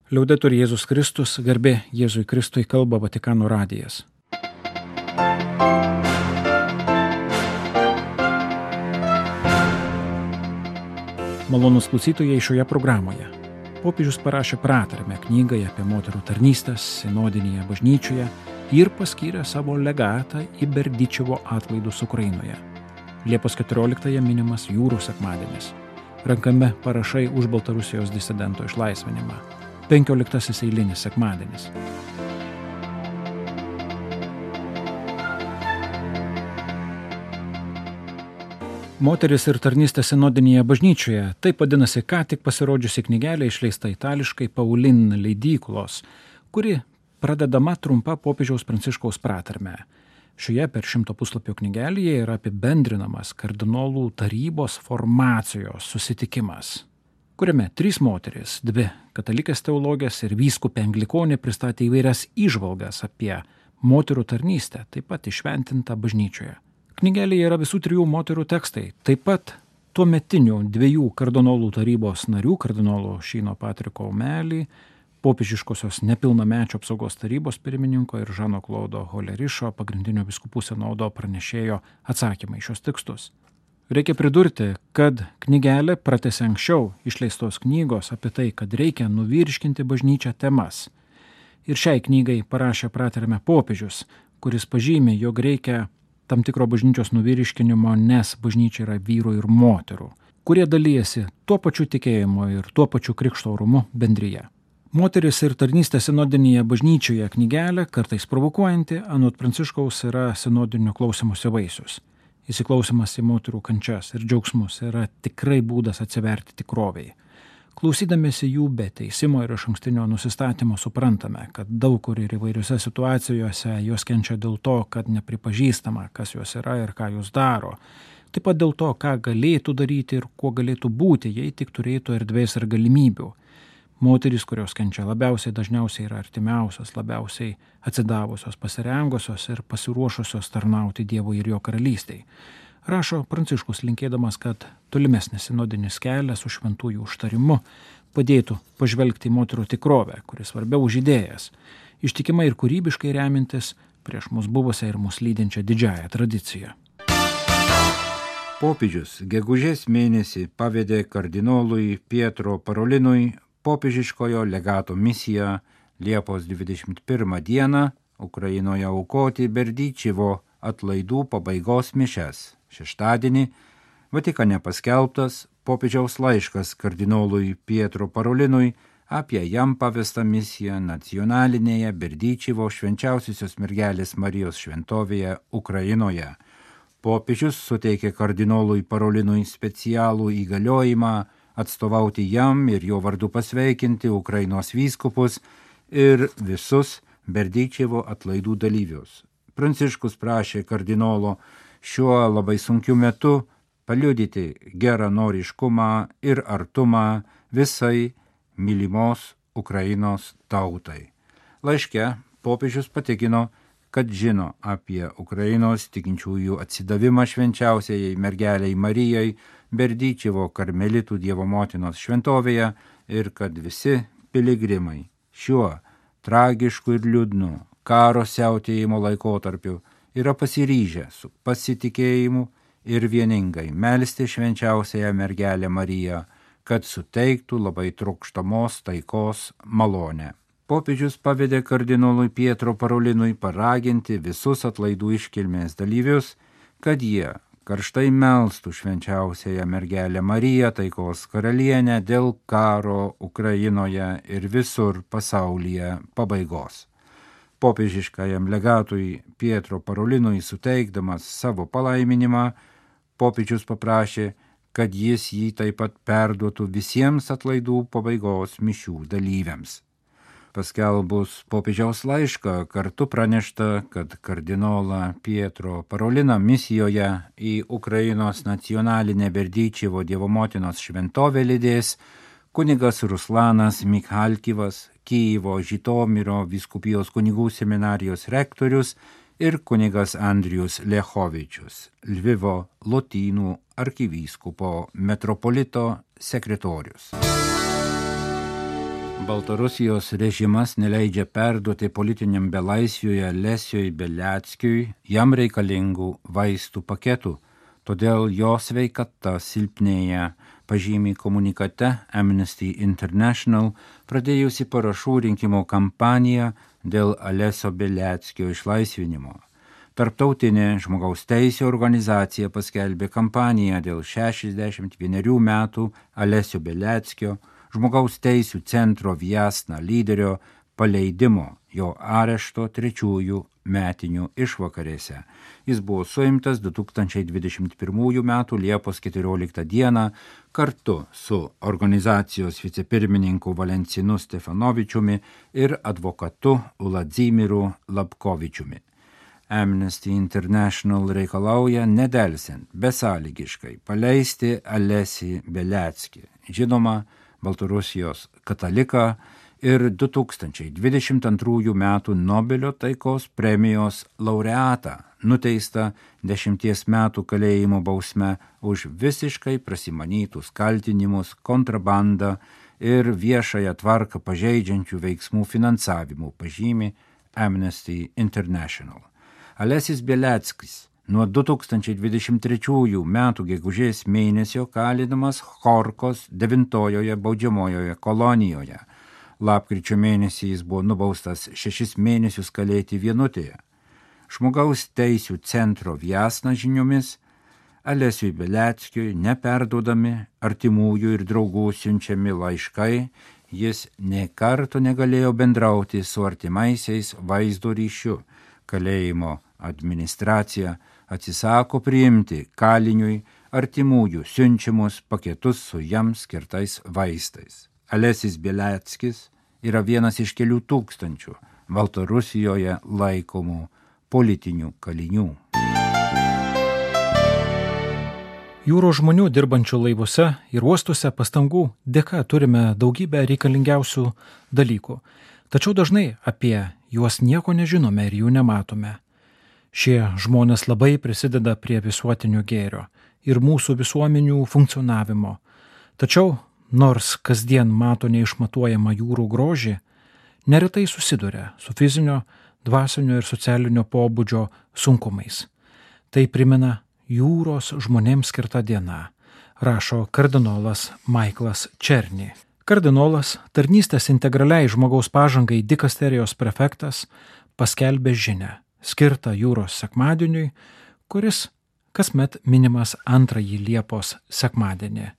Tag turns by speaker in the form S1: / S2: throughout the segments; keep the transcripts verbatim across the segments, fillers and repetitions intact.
S1: Liaudetur Jėzus Kristus, garbė Jėzui Kristui, kalba Vatikano radijas. Malonūs klausytojai, šioje programoje popiežius parašė pratarmę knygai apie moterų tarnystes sinodinėje bažnyčioje ir paskyrė savo legatą į Berdyčevo atlaidus Ukrainoje. Liepos keturioliktąją minimas Jūrų sekmadienis. Renkami parašai už Baltarusijos disidento išlaisvinimą. Penkioliktasis eilinis sekmadienis. Moteris ir tarnystė sinodinėje bažnyčioje, taip vadinasi ką tik pasirodžiusi knygelė išleista itališkai Paulin leidyklos, kuri pradedama trumpa popiežiaus Pranciškaus pratarme. Šioje per šimto puslapio knygelėje yra apibendrinamas kardinolų tarybos formacijos susitikimas, kuriame trys moterys, dvi katalikės teologės ir vyskupė anglikonė pristatė įvairias įžvalgas apie moterų tarnystę, taip pat įšventintą bažnyčioje. Knygelėje yra visų trijų moterų tekstai, taip pat tuometinių dviejų kardinolų tarybos narių, kardinolo Šyno Patriko Omelį, popiežiškosios nepilnamečio apsaugos tarybos pirmininko ir Žano Klodo Holerišo, pagrindinio vyskupų sinodo pranešėjo atsakymai šios tekstus. Reikia pridurti, kad knygelė pratęsė anksčiau išleistos knygos apie tai, kad reikia nuvyriškinti bažnyčią temas. Ir šiai knygai parašė pratarmę popiežius, kuris pažymi, jog reikia tam tikro bažnyčios nuvyriškinimo, nes bažnyčia yra vyrų ir moterų, kurie dalyjasi tuo pačiu tikėjimu ir tuo pačiu krikšto orumu bendryje. Moteris ir tarnystė sinodinėje bažnyčioje knygelė, kartais provokuojanti, anot Pranciškaus yra sinodinio klausymosi vaisius. Įsiklausimas į moterų kančias ir džiaugsmus yra tikrai būdas atsiverti tikrovei. Klausydamėsi jų be teisimo ir išankstinio nusistatymo suprantame, kad daug kur ir įvairiose situacijose jos kenčia dėl to, kad nepripažįstama, kas jos yra ir ką jos daro. Taip pat dėl to, ką galėtų daryti ir kuo galėtų būti, jei tik turėtų erdvės ir galimybių. Moterys, kurios kenčia labiausiai, dažniausiai yra artimiausios, labiausiai atsidavusios, pasirengusios ir pasiruošusios tarnauti Dievui ir jo karalystei. Rašo Pranciškus, linkėdamas, kad tolimesnis sinodinis kelias su šventųjų užtarimu padėtų pažvelgti į moterų tikrovę, kuris svarbiau už idėjas, ištikimai ir kūrybiškai remintis prieš mus buvusią ir mus lydinčią didžiąją tradiciją.
S2: Popiežius gegužės mėnesį pavedė kardinolui Pietro Parolinui popiežiškojo legato misiją Liepos dvidešimt pirmą dieną Ukrainoje aukoti Berdyčevo atlaidų pabaigos mišias. Šeštadienį Vatikane paskelbtas popiežiaus laiškas kardinolui Pietro Parolinui apie jam pavestą misiją nacionalinėje Berdyčevo švenčiausiosios mergelės Marijos šventovėje Ukrainoje. Popiežius suteikė kardinolui Parolinui specialų įgaliojimą atstovauti jam ir jo vardu pasveikinti Ukrainos vyskupus ir visus Berdyčevo atlaidų dalyvius. Pranciškus prašė kardinolo šiuo labai sunkiu metu paliudyti geranoriškumą ir artumą visai mylimos Ukrainos tautai. Laiške popiežius patikino, kad žino apie Ukrainos tikinčiųjų atsidavimą švenčiausiajai mergelei Marijai Berdyčevo karmelitų Dievo motinos šventovėje ir kad visi piligrimai šiuo tragišku ir liūdnu karo siautėjimo laikotarpiu yra pasiryžę su pasitikėjimu ir vieningai melsti švenčiausiąją mergelę Mariją, kad suteiktų labai trokštamos taikos malonę. Popiežius pavedė kardinolui Pietro Parolinui paraginti visus atlaidų iškilmės dalyvius, kad jie karštai melstų švenčiausiąją mergelę Mariją, taikos karalienę, dėl karo Ukrainoje ir visur pasaulyje pabaigos. Popiežiškajam legatui Pietro Parolinui suteikdamas savo palaiminimą, popiežius paprašė, kad jis jį taip pat perduotų visiems atlaidų pabaigos mišių dalyviams. Paskelbus popiežiaus laišką, kartu pranešta, kad kardinolą Pietro Paroliną misijoje į Ukrainos nacionalinę Berdyčevo Dievo motinos šventovę lydės kunigas Ruslanas Mikhalkivas, Kijevo Žitomiro vyskupijos kunigų seminarijos rektorius ir kunigas Andrijus Lechovičius, Lvivo Lotynų arkivyskupo metropolito sekretorius. Baltarusijos režimas neleidžia perduoti politiniam belaisviui Alesiui Beliackiui jam reikalingų vaistų paketų, todėl jo sveikata silpnėja, pažymi komunikate Amnesty International pradėjusi parašų rinkimo kampaniją dėl Alesio Beliackio išlaisvinimo. Tarptautinė žmogaus teisių organizacija paskelbė kampaniją dėl šešiasdešimt vienerių metų Alesio Beliackio žmogaus teisių centro Vjasna lyderio paleidimo jo arešto trečiųjų metinių išvakarėse. Jis buvo suimtas du tūkstančiai dvidešimt pirmųjų metų Liepos keturioliktą dieną kartu su organizacijos vicepirmininku Valencinu Stefanovičiumi ir advokatu Uladzimiru Lapkovičiumi. Amnesty International reikalauja nedelsiant, besąlygiškai paleisti Alesį Beliackį, žinoma, Baltarusijos kataliką ir du tūkstančiai dvidešimt antrųjų metų Nobelio taikos premijos laureatą, nuteistą dešimties metų kalėjimo bausme už visiškai prasimanytus kaltinimus, kontrabandą ir viešąją tvarką pažeidžiančių veiksmų finansavimu, pažymi Amnesty International. Alesis Beliackis nuo du tūkstančiai dvidešimt trečiųjų metų gegužės mėnesio kalinamas Chorkos devintojoje baudžiamojoje kolonijoje. Lapkričio mėnesį jis buvo nubaustas šešis mėnesius kalėti vienutėje. Žmogaus teisių centro Vjasna žiniomis Alesiui Beliackiui neperduodami artimųjų ir draugų siunčiami laiškai, jis nė karto negalėjo bendrauti su artimaisiais vaizdo ryšiu. Kalėjimo administracija atsisako priimti kaliniui artimųjų siunčiamus paketus su jam skirtais vaistais. Alesis Beliackis yra vienas iš kelių tūkstančių Baltarusijoje laikomų politinių kalinių.
S1: Jūros žmonių dirbančių laivuose ir uostuose pastangų dėka turime daugybę reikalingiausių dalykų, tačiau dažnai apie juos nieko nežinome ir jų nematome. Šie žmonės labai prisideda prie visuotinio gėrio ir mūsų visuomenių funkcionavimo. Tačiau, nors kasdien mato neišmatuojamą jūrų grožį, neretai susiduria su fizinio, dvasinio ir socialinio pobūdžio sunkumais. Tai primena jūros žmonėms skirta diena, rašo kardinolas Michaelas Černy. Kardinolas, tarnystės integraliai žmogaus pažangai dikasterijos prefektas, paskelbė žinią skirtą jūros sekmadieniui, kuris kasmet minimas antrąjį Liepos sekmadienį.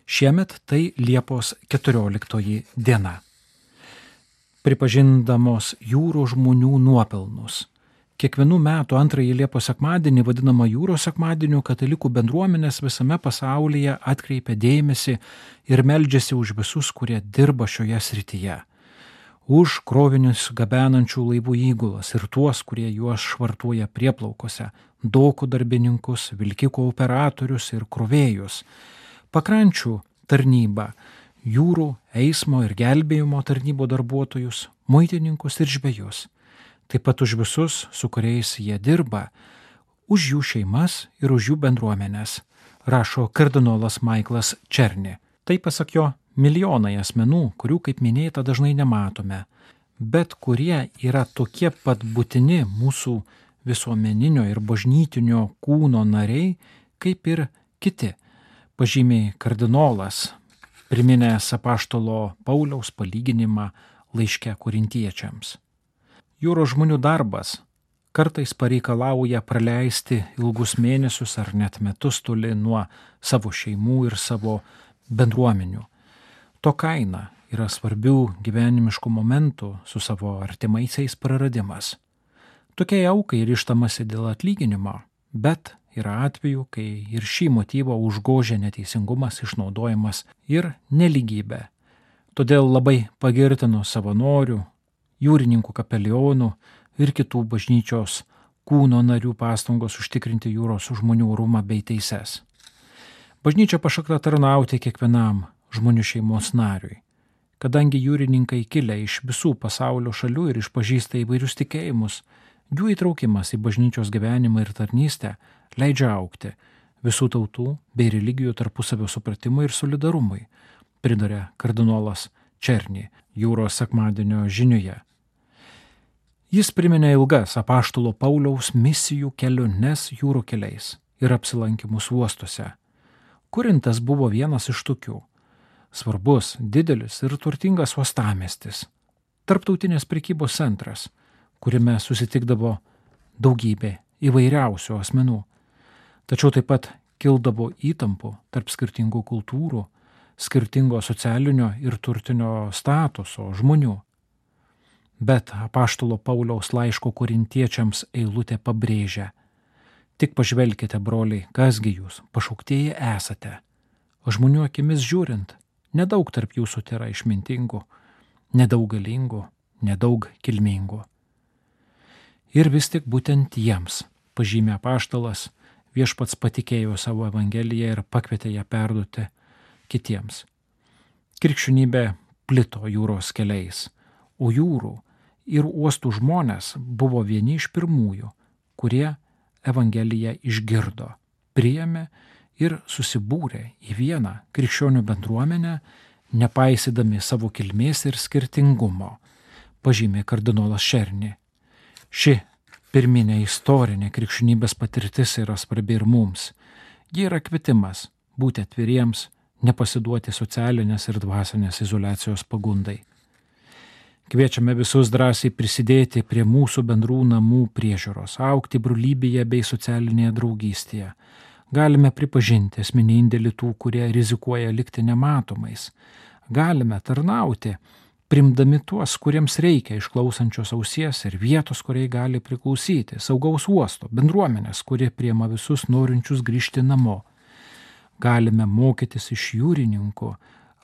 S1: Šiemet tai Liepos keturioliktoji diena. Pripažindamos jūrų žmonių nuopelnus, kiekvienų metų antrąjį Liepos sekmadienį vadinamą jūros sekmadieniu katalikų bendruomenės visame pasaulyje atkreipia dėmesį ir meldžiasi už visus, kurie dirba šioje srityje. Už krovinius gabenančių laivų įgulas ir tuos, kurie juos švartuoja prieplaukose, dokų darbininkus, vilkikų operatorius ir krovėjus, pakrančių tarnybą, jūrų, eismo ir gelbėjimo tarnybų darbuotojus, muitininkus ir žvejus. Taip pat už visus, su kuriais jie dirba, už jų šeimas ir už jų bendruomenės, rašo kardinolas Michaelas Černy. Tai pasak jo milijonai asmenų, kurių, kaip minėta, dažnai nematome, bet kurie yra tokie pat būtini mūsų visuomeninio ir bažnytinio kūno nariai, kaip ir kiti, pažymi kardinolas, priminęs apaštalo Pauliaus palyginimą laiške korintiečiams. Jūros žmonių darbas kartais pareikalauja praleisti ilgus mėnesius ar net metus toli nuo savo šeimų ir savo bendruomenių. To kaina yra svarbių gyvenimiškų momentų su savo artimaisiais praradimas. Tokiai aukai ryžtamasi dėl atlyginimo, bet yra atvejų, kai ir šį motyvą užgožia neteisingumas, išnaudojimas ir nelygybė. Todėl labai pagirtinu savanorių, jūrininkų kapelionų ir kitų bažnyčios kūno narių pastangos užtikrinti jūros žmonių orumą bei teises. Bažnyčia pašaukta tarnauti kiekvienam žmonių šeimos nariui, kadangi jūrininkai kilę iš visų pasaulio šalių ir išpažįsta įvairius tikėjimus, jų įtraukimas į bažnyčios gyvenimą ir tarnystę leidžia augti visų tautų bei religijų tarpusavio supratimui ir solidarumui, priduria kardinolas Černy. jūros sekmadienio žinioje. Jis priminė ilgas apaštalo Pauliaus misijų keliones jūrų keliais ir apsilankimus uostuose. Korintas buvo vienas iš tokių. Svarbus, didelis ir turtingas uostamiestis. Tarptautinės prekybos centras, kuriame susitikdavo daugybė įvairiausių asmenų. Tačiau taip pat kildavo įtampų tarp skirtingų kultūrų, skirtingo socialinio ir turtinio statuso žmonių. Bet apaštalo Pauliaus laiško korintiečiams eilutė pabrėžia: tik pažvelkite, broliai, kasgi jūs, pašauktieji esate. O žmonių akimis žiūrint, nedaug tarp jūsų tėra išmintingų, nedaug galingų, nedaug kilmingų. Ir vis tik būtent jiems, pažymė apaštalas, viešpats patikėjo savo evangeliją ir pakvietė ją perduoti kitiems. Krikščionybė plito jūros keliais, o jūrų ir uostų žmonės buvo vieni iš pirmųjų, kurie evangeliją išgirdo, priėmė ir susibūrė į vieną krikščionių bendruomenę, nepaisydami savo kilmės ir skirtingumo, pažymė kardinolas Šerni. Ši pirminė istorinė krikščionybės patirtis yra svarbi ir mums. Ji yra kvietimas būti atviriems, nepasiduoti socialinės ir dvasinės izoliacijos pagundai. Kviečiame visus drąsiai prisidėti prie mūsų bendrų namų priežiūros, augti brolybėje bei socialinėje draugystėje. Galime pripažinti asmeninį indėlį tų, kurie rizikuoja likti nematomais. Galime tarnauti, primdami tuos, kuriems reikia išklausančios ausies ir vietos, kuriai gali priklausyti, saugaus uosto, bendruomenės, kurie priima visus norinčius grįžti namo. Galime mokytis iš jūrininkų,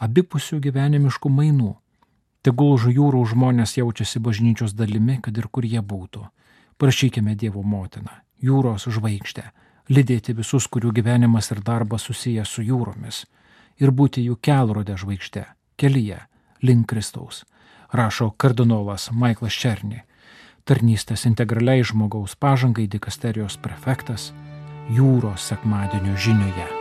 S1: abipusių gyvenimiškų mainų. Tegul jūrų žmonės jaučiasi bažnyčios dalimi, kad ir kur jie būtų. Prašykime Dievo motiną, jūros žvaigždę, lydėti visus, kurių gyvenimas ir darbas susijęs su jūromis, ir būti jų kelrodė žvaigždė, kelyje, link Kristaus, rašo kardinolas Maiklas Černi, tarnystės integraliai žmogaus pažangai dikasterijos prefektas, jūros sekmadienio žinioje.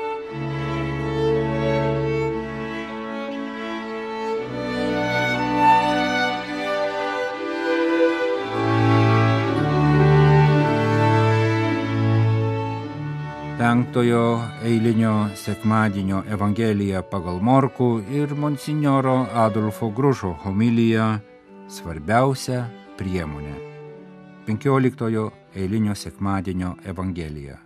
S2: Penktojo eilinio sekmadienio Evangelija pagal Morkų ir monsinjoro Adolfo Grušo homilija Svarbiausia priemonė. Penkioliktojo eilinio sekmadienio Evangelija.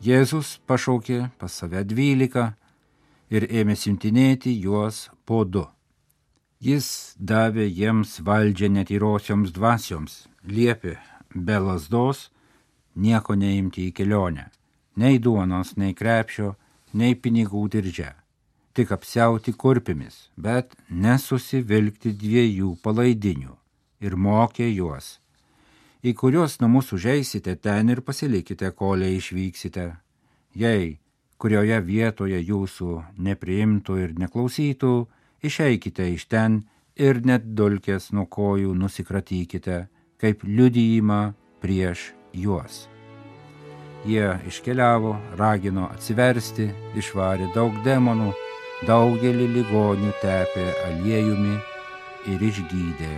S2: Jėzus pašaukė pas save dvylika ir ėmė siuntinėti juos po du. Jis davė jiems valdžią netyrosioms dvasioms, liepė be lazdos nieko neimti į kelionę. Nei duonos, nei krepšio, nei pinigų diržę, tik apsiauti kurpimis, bet nesusivilkti dviejų palaidinių, ir mokė juos. Į kuriuos namus užeisite, ten ir pasilikite, kolei išvyksite. Jei kurioje vietoje jūsų nepriimtų ir neklausytų, išeikite iš ten ir net dulkės nuo kojų nusikratykite, kaip liudijimą prieš juos. Jie iškeliavo, ragino atsiversti, išvarė daug demonų, daugelį ligonių tepė aliejumi ir išgydė.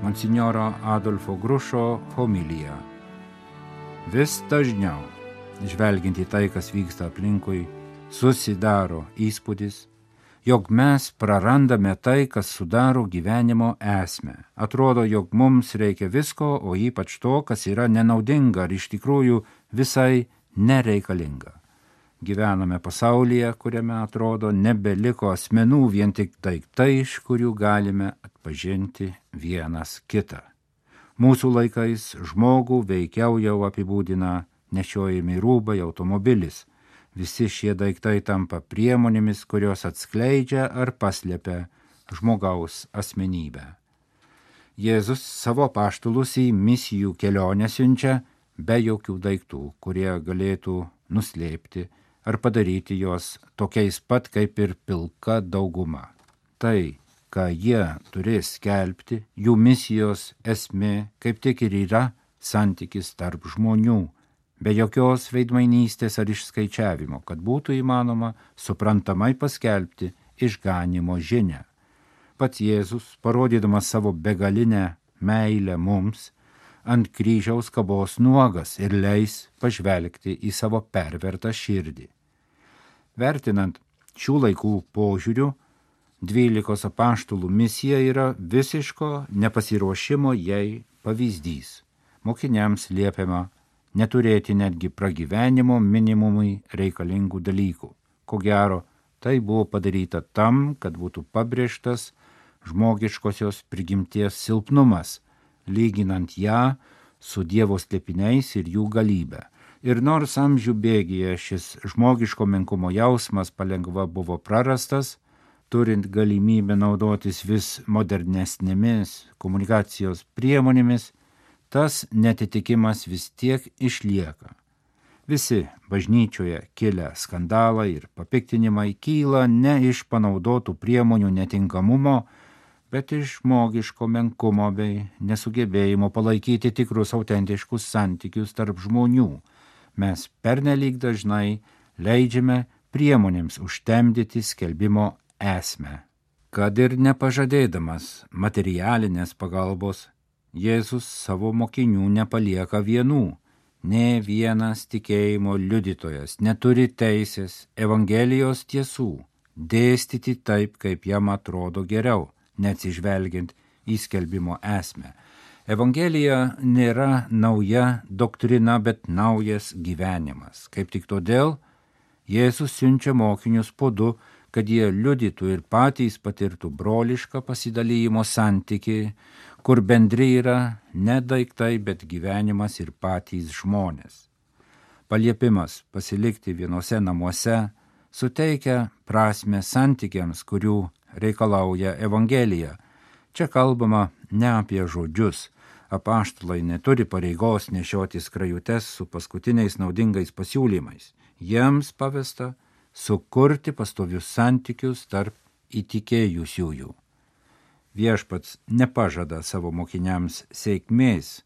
S2: Monsinjoro Adolfo Grušo homilija. Vis dažniau, žvelgiant į tai, kas vyksta aplinkui, susidaro įspūdis, jog mes prarandame tai, kas sudaro gyvenimo esmę. Atrodo, jog mums reikia visko, o ypač to, kas yra nenaudinga ar iš tikrųjų visai nereikalinga. Gyvename pasaulyje, kuriame atrodo nebeliko asmenų, vien tik daiktai, iš kurių galime atpažinti vienas kitą. Mūsų laikais žmogų veikiau jau apibūdina nešiojami rūbai, automobilis. Visi šie daiktai tampa priemonėmis, kurios atskleidžia ar paslepia žmogaus asmenybę. Jėzus savo apaštalus į misijų kelionę siunčia be jokių daiktų, kurie galėtų nuslėpti ar padaryti juos tokiais pat kaip ir pilka dauguma. Tai ką jie turės skelbti, jų misijos esmė kaip tik ir yra santykis tarp žmonių, be jokios veidmainystės ar išskaičiavimo, kad būtų įmanoma suprantamai paskelbti išganymo žinią. Pats Jėzus, parodydamas savo begalinę meilę mums, ant kryžiaus kabos nuogas ir leis pažvelgti į savo pervertą širdį. Vertinant šių laikų požiūrių, dvylikos apaštalų misija yra visiško nepasiruošimo jai pavyzdys. Mokiniams liepiama neturėti netgi pragyvenimo minimumui reikalingų dalykų. Ko gero, tai buvo padaryta tam, kad būtų pabrėžtas žmogiškosios prigimties silpnumas, lyginant ją su Dievo slėpiniais ir jų galybę. Ir nors amžių bėgyje šis žmogiško menkumo jausmas palengva buvo prarastas, turint galimybę naudotis vis modernesnėmis komunikacijos priemonėmis, tas netitikimas vis tiek išlieka. Visi bažnyčioje kilę skandalai ir papiktinimai kyla ne iš panaudotų priemonių netinkamumo, bet iš žmogiško menkumo bei nesugebėjimo palaikyti tikrus autentiškus santykius tarp žmonių. Mes pernelyg dažnai leidžiame priemonėms užtemdyti skelbimo esmę. Kad ir nepažadėdamas materialinės pagalbos, Jėzus savo mokinių nepalieka vienų. Nė vienas tikėjimo liudytojas neturi teisės Evangelijos tiesų dėstyti taip, kaip jam atrodo geriau, neatsižvelgiant į skelbimo esmę. Evangelija nėra nauja doktrina, bet naujas gyvenimas. Kaip tik todėl Jėzus siunčia mokinius po du, kad jie liudytų ir patys patirtų brolišką pasidalijimo santykį, kur bendri yra ne daiktai, bet gyvenimas ir patys žmonės. Paliepimas pasilikti vienose namuose suteikia prasmę santykiams, kurių reikalauja Evangelija. Čia kalbama ne apie žodžius. Apaštalai neturi pareigos nešioti skrajutes su paskutiniais naudingais pasiūlymais. Jiems pavesta sukurti pastovius santykius tarp įtikėjusiųjų. Viešpats nepažada savo mokiniams sėkmės.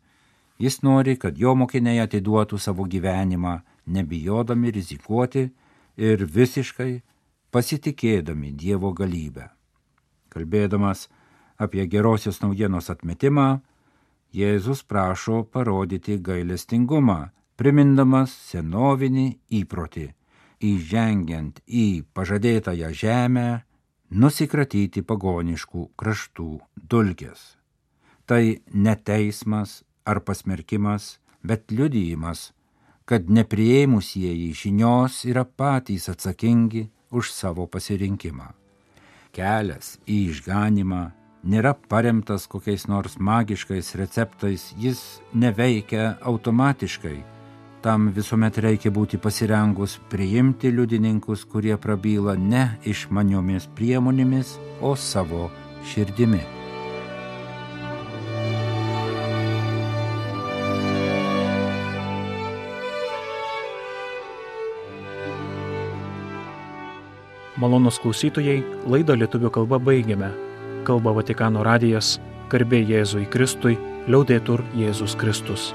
S2: Jis nori, kad jo mokiniai atiduotų savo gyvenimą, nebijodami rizikuoti ir visiškai pasitikėdami Dievo galybę. Kalbėdamas apie gerosios naujienos atmetimą, Jėzus prašo parodyti gailestingumą, primindamas senovinį įprotį, įžengiant į pažadėtąją žemę, nusikratyti pagoniškų kraštų dulkės. Tai ne teismas ar pasmerkimas, bet liudijimas, kad nepriėmusieji žinios yra patys atsakingi už savo pasirinkimą. Kelias į išganymą nėra paremtas kokiais nors magiškais receptais, jis neveikia automatiškai. Tam visuomet reikia būti pasirengus priimti liudininkus, kurie prabyla ne išmaniomis priemonėmis, o savo širdimi.
S1: Malonūs klausytojai, laidą lietuvių kalba baigiame. Kalba Vatikano radijas, garbė Jėzui Kristui, liaudetur Jėzus Kristus.